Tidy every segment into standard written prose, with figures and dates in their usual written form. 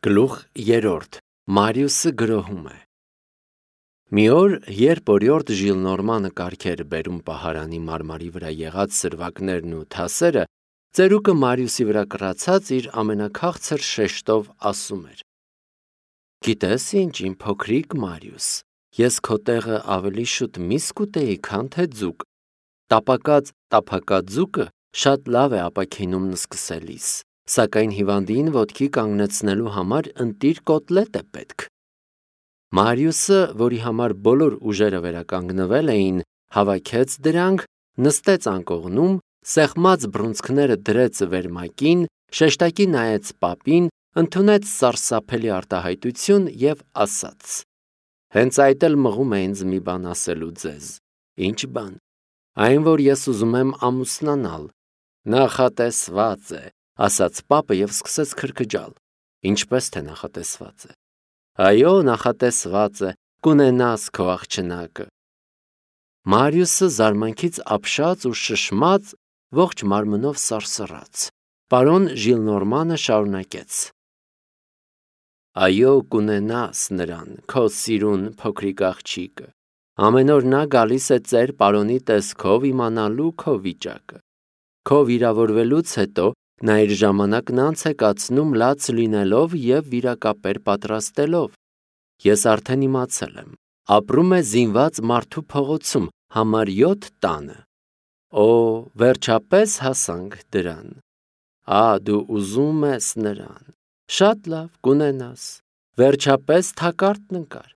Գլուխ 3. Մարիուսը գրոհում է։ Մի օր, երբ օրիորդ Ժիլնորմանը կարգ էր բերում պահարանի մարմարի վրա եղած սրվակներն ու թասերը, ծերուկը Մարիուսի վրա կռացած իր ամենաքաղցր շեշտով ասում էր. «Գիտես ինչ, իմ փոքրիկ Մարիուս, ես քո տեղը ավելի շուտ միս կուտեի, քան թե ձուկ։ Տապակած ձուկը շատ լավ է ապաքինում նսկսելիս, սակայն հիվանդին ոտքի կանգնեցնելու համար ընտիր կոտլետ է պետք»։ Մարիուսը, որի համար բոլոր ուժերը վերականգնվել էին, հավաքեց դրանք, նստեց անկողնում, սեղմած բռունցքները դրեց վերմակին, շեշտակի նայեց պապին, ընդունեց սարսափելի արտահայտություն և ասաց. «Հենց այդ էլ մղում է ինձ մի բան ասելու ձեզ»։ «Ինչ բան»։ «Այն, որ ես ուզում եմ ամուսնանալ»։ «Նախատեսված է», ասաց պապը և սկսեց քրքջալ։ «Ինչպես թե նախատեսված է»։ «Այո, նախատեսված է, կունենաս քո աղջնակը»։ Մարիուսը զարմանքից ապշած ու շշմած, ողջ մարմնով սարսռաց։ Պարոն Ժիլնորմանը շարունակեց. «Այո, կունենաս նրան, քո սիրուն փոքրիկ աղջիկը։ Ամեն օր նա գալիս է ծեր պարոնի տեսքով իմանալու քո վիճակը։ Քո վիրավորվելուց հետո նա իր ժամանակն անց է կացնում լաց լինելով և վիրակապեր պատրաստելով։ Ես արդեն իմացել եմ, ապրում է զինված մարդու փողոցում, համար 7 տանը։ Օ, վերջապես հասանք դրան։ Դու ուզում ես նրան։ Շատ լավ, կունենաս։ Վերջապես թակարդն ընկար։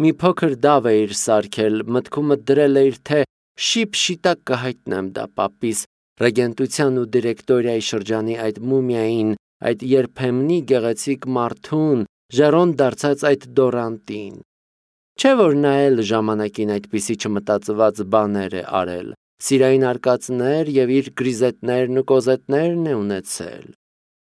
Մի փոքր դավ էիր սարքել, մտքումդ դրել էիր, թե շիպ-շիտակ կհայտնեմ դա պապիս, ռեգենտության ու դիրեկտորիայի շրջանի այդ մումիային, այդ երբեմնի գեղեցիկ մարդուն, ժերոն դարձած այդ դորանտին։ Չէ՞ որ նա էլ ժամանակին այդպիսի չմտածված բաներ է արել, սիրային արկածներ և իր գրիզետներն ու կոզետներն է ունեցել։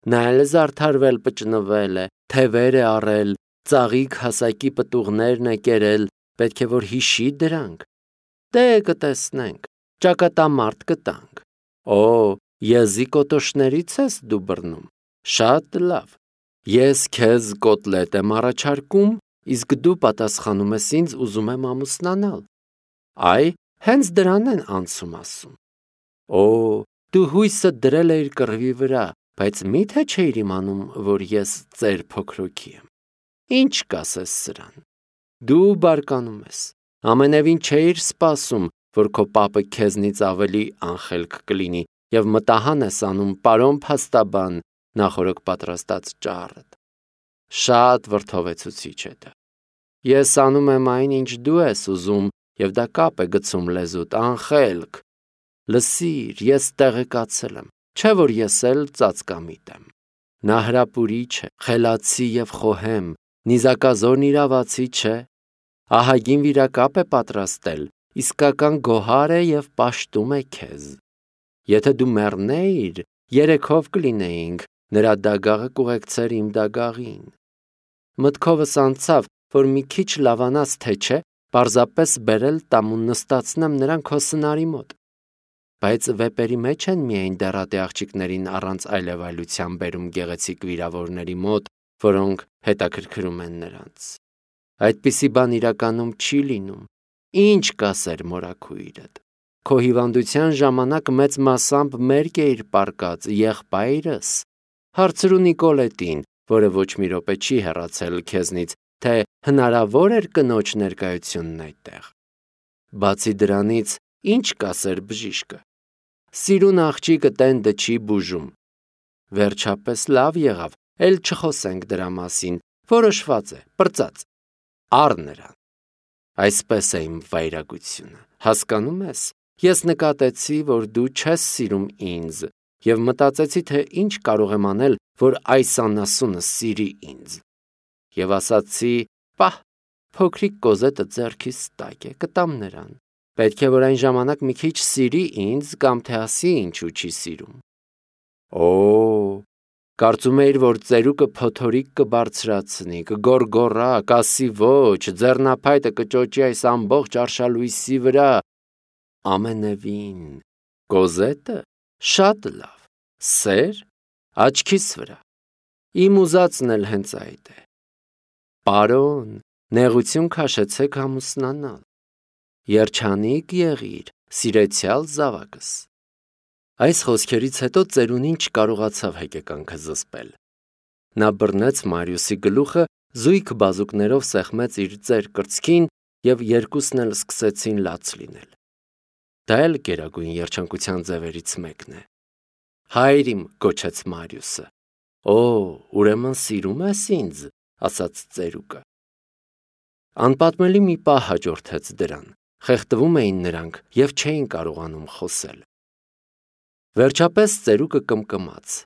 Նա էլ զարդարվել պճնվել է, թևեր է առել, ծաղիկ հասակի պտուղներն է կերել, պետք է որ հիշի դրանք։ Դե կտեսնենք, ճակատամարտ կտանք։ Օ, եզի կոտոշներից ես դու բռնում։ Շատ լավ։ Ես քեզ կոտլետ եմ առաջարկում, իսկ դու պատասխանում ես ինձ ուզում եմ ամուսնանալ։ Այ, հենց դրան են անցում ասում։ Օ, դու հույսդ դրել էիր կռվի վրա, բայց մի՞թե չէիր իմանում, որ ես ծեր փոքրուքի եմ։ Ինչ կասես սրան։ Դու բարկանում ես։ Ամենևին չէիր սպասում, որ քո պապը քեզնից ավելի անխելք կլինի և մտահան ես անում պարոն փաստաբան, նախօրոք պատրաստած ճառդ։ Շատ վրդովեցուցիչ է դա։ Ես անում եմ այն, ինչ դու ես ուզում, և դա կապ է գցում լեզուդ, անխելք։ Լսիր, ես տեղեկացել եմ, չէ՞ որ ես էլ ծածկամիտ եմ։ Նա հրապուրիչ է, խելացի և խոհեմ, նիզակազորն իրավացի չէ։ Ահագին վիրակապ է պատրաստել, իսկական գոհար է և պաշտում է քեզ։ Եթե դու մեռնեիր, երեքով կլինեինք, նրա դագաղը կուղեկցեր իմ դագաղին։ Մտքովս անցավ, որ մի քիչ լավանաս թե չէ, պարզապես բերել տամ ու նստացնեմ նրան քո սնարի մոտ։ Բայց վեպերի մեջ են միայն դեռատե աղջիկներին առանց այլևայլության բերում գեղեցիկ վիրավորների մոտ, որոնք հետաքրքրում են նրանց։ Այդպիսի բան իրականում չի լինում։ Ինչ կասեր մորաքույրդ։ Քո հիվանդության ժամանակ մեծ մասամբ մերկ էիր պառկած, եղբայրս։ Հարցրու Նիկոլետին, որը ոչ մի րոպե չի հեռացել քեզնից, թե հնարավոր էր կնոջ ներկայությունն այդտեղ։ Բացի դրանից, ինչ կասեր բժիշկը։ Սիրուն աղջիկը տենդը չի բուժում։ Վերջապես լավ եղավ, էլ չխոսենք դրա մասին, որոշված է, պրծած։ Առ նրան։ Այսպես է իմ վայրագությունը, հասկանում ես։ Ես նկատեցի, որ դու չես սիրում ինձ, և մտածեցի, թե ինչ կարող եմ անել, որ այս անասունը սիրի ինձ։ Եվ ասացի, պահ, փոքրիկ կոզետը ձեռքիս տակ է, կտամ նրան։ Պետք է, որ այն ժամանակ մի քիչ սիրի ինձ, կամ թե ասի ինչու չի սիրում։ Օ, կարծում էիր, որ ծերուկը փոթորիկ կբարձրացնի, կգոռգոռա, կասի ոչ, ձեռնափայտը կճոճի այս ամբողջ արշալույսի վրա։ Ամենևին, կոզետը շատ լավ, սեր, աչքիս վրա։ Իմ ուզածն էլ հենց այդ է։ Պարոն, նեղություն քաշեցեք ամուսնանալ։ Երջանիկ եղիր, սիրեցյալ զավակս։ Այս խոսքերից հետո ծերունին չկարողացավ հեկեկանքը զսպել։ Նա բռնեց Մարիուսի գլուխը, զույգ բազուկներով սեղմեց իր ծեր կրծքին և երկուսն էլ սկսեցին լաց լինել։ Դա էլ գերագույն երջանկության ձևերից մեկն է։ Հայր իմ, գոչեց Մարիուսը։ Օ, ուրեմն սիրում ես ինձ, ասաց ծերուկը։ Անպատմելի մի պահ հաջորդեց դրան։ Խեղդվում էին նրանք և չէին կարողանում խոսել։ Վերջապես ծերուկը կմկմաց.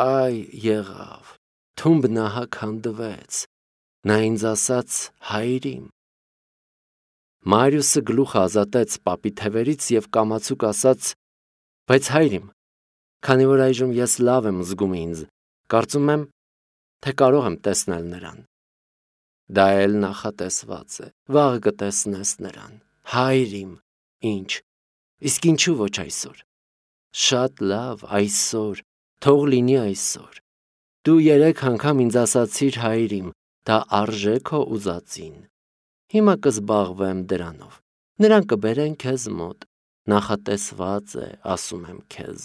Այ եղավ, թումբ նահակ հանդվեց, նա ինձ ասաց հայր իմ։ Մարիուսը գլուխը ազատեց պապի թևերից և կամացուկ ասաց. Բայց հայր իմ, քանի որ այժմ ես լավ եմ զգում ինձ, կարծում եմ, թե կարող եմ տեսնել նրան։ Դա էլ նախատեսված է, վաղ կտեսնես նրան, հայր իմ, ինչ, իսկ ինչու ոչ այսօր։ Շատ լավ, այսօր, թող լինի այսօր։ Դու 3 անգամ ինձ ասացիր հայր իմ, դա արժե քո ուզածին։ Հիմա կզբաղվեմ դրանով։ Նրան կբերեն քեզ մոտ։ Նախատեսված է, ասում եմ քեզ։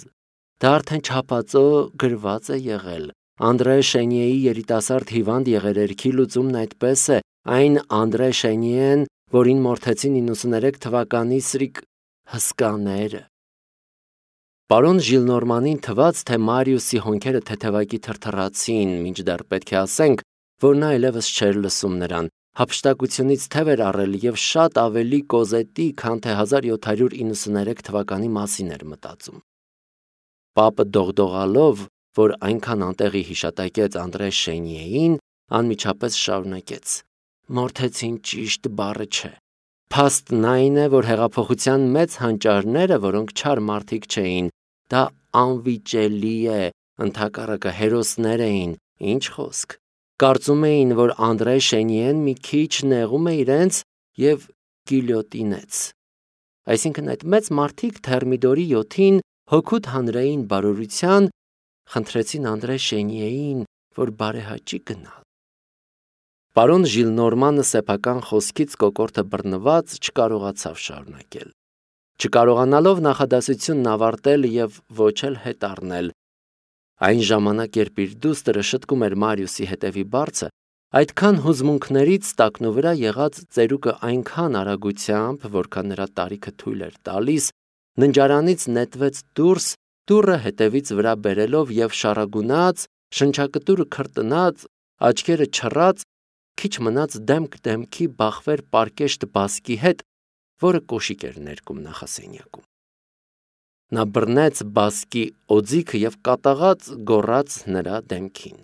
Դա արդեն չափածո գրված է եղել։ Անդրե Շենիեի երիտասարդ հիվանդ եղերերքի լուծումն այդպես է, այն Անդրե Շենիեն, որին մորթեցին 93 թվականի սրիկ հսկաները։ Պարոն Ժիլնորմանին թվաց, թե Մարիուսի հոնքերը թեթևակի թրթռացին, մինչդեռ պետք է ասենք, որ նա այլևս չէր լսում նրան, հափշտակությունից թև էր առել և շատ ավելի կոզետի, քան թե 1793 թվականի մասին էր մտածում։ Պապը դողդողալով, որ այնքան անտեղի հիշատակեց Անդրե Շենիեին, անմիջապես շարունակեց. Մորթեցին ճիշտ բառը չէ։ Փաստն այն է, որ հեղափոխության մեծ հանճարները, որոնք չար մարդիկ չէին, դա անվիճելի է, ընդհակառակը հերոսներ էին, ինչ խոսք։ Կարծում էին, որ Անդրե Շենիեն մի քիչ նեղում է իրենց և գիլյոտինեց։ Այսինքն այդ մեծ մարդիկ Թերմիդորի 7-ին հօգուտ հանրային բարօրության խնդրեցին Անդրե Շենիեին, որ բարեհաճի գնալ։ Պարոն Ժիլնորմանը սեփական խոսքից կոկորդը բռնված չկարողացավ շարունակել։ Չկարողանալով նախադասությունն ավարտել և ոչ էլ հետ առնել։ Այն ժամանակ, երբ իր դուստրը շտկում էր Մարիուսի հետևի բարձը, այդքան հուզմունքներից տակնու վրա եղած ծերուկը այնքան արագությամբ, որքան նրա տարիքը թույլ էր տալիս, ննջարանից նետվեց դուրս, դուռը հետևից վրա բերելով և շառագունած, շնչակտուրը քրտնած, աչքերը չռած, քիչ մնաց դեմք դեմքի բախվեր պարկեշտ բասկի հետ, որը կոշիկ էր ներկում նախասենյակում։ Նա բռնեց բասկի օձիքը և կատաղած գոռաց նրա դեմքին.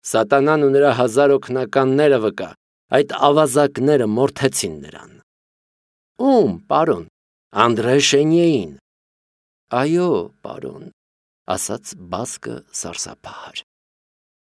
Սատանան ու նրա 1000 օգնականները վկա, այդ ավազակները մորթեցին նրան։ Ում, պարոն, Անդրե Շենիեին։ Այո, պարոն, ասաց բասկը սարսափահար։